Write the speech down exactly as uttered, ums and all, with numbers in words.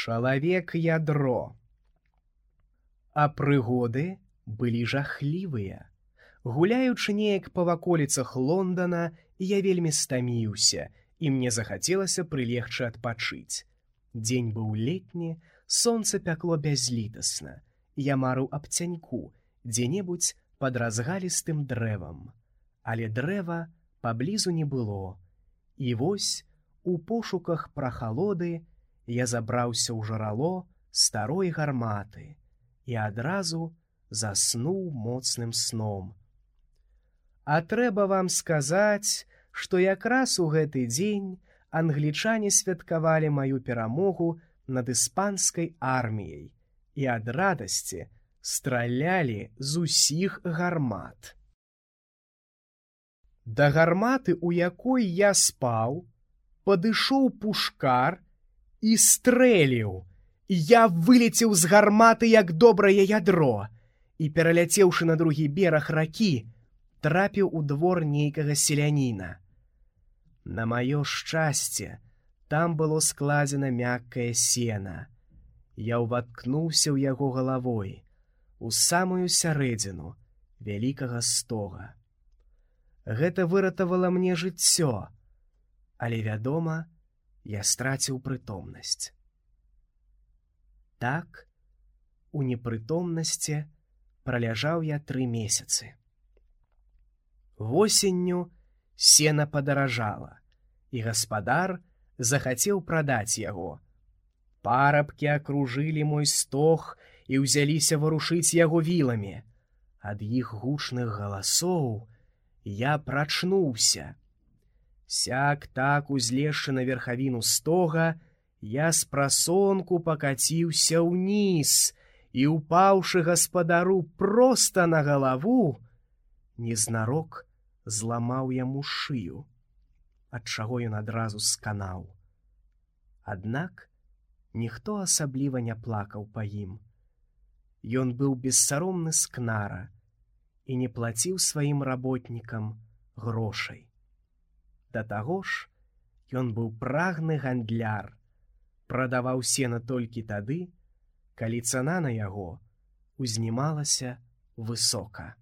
Чалавек-ядро. А прыгоды былі жахлівыя. Гуляючы неяк па ваколіцах Лондана, я вельмі стаміўся, і мне захацелася прылегчы адпачыць. Дзень быў летні, сонца пякло бязлітасна. Я марыў аб цяньку, дзе-небудзь пад разгалістым дрэвам. Але дрэва паблізу не было. І вось, у пошуках прахалоды, я забраўся ў жарало старой гарматы і адразу заснуў моцным сном. А трэба вам сказаць, што якраз у гэты дзень англічане святкавалі маю перамогу над іспанскай арміяй і ад радасці стралялі з усіх гармат. Да гарматы, у якой я спаў, падышоў пушкар і стрэліў. Я вылецеў з гарматы, як добрае ядро, і, пераляцеўшы на другі бераг ракі, трапіў у двор нейкага селяніна. На маё шчасце, там было складзена мяккае сена. Я ўваткнуўся ў яго галавой, у самую сярэдзіну вялікага стога. Гэта выратавала мне жыццё, але, вядома, я страціў прытомнасць. Так, у непрытомнасці праляжаў я тры месяцы. Восенню сена падаражала, і гаспадар захацеў прадаць яго. Парабкі акружылі мой стог і ўзяліся варушыць яго віламі. Ад іх гучных галасоў я прачнуўся. Сяк-так, узлезшы на верхавіну стога, я спрасонку пакаціўся ўніз і, упаўшы гаспадару проста на галаву, незнарок зламаў яму шыю, ад чаго ён адразу сканаў. Аднак ніхто асабліва не плакаў па ім. Ён быў бессаромны скнара і не плаціў сваім работнікам грошай. Да таго ж, ён быў прагны гандляр, прадаваў сена толькі тады, калі цана на яго узнімалася высока.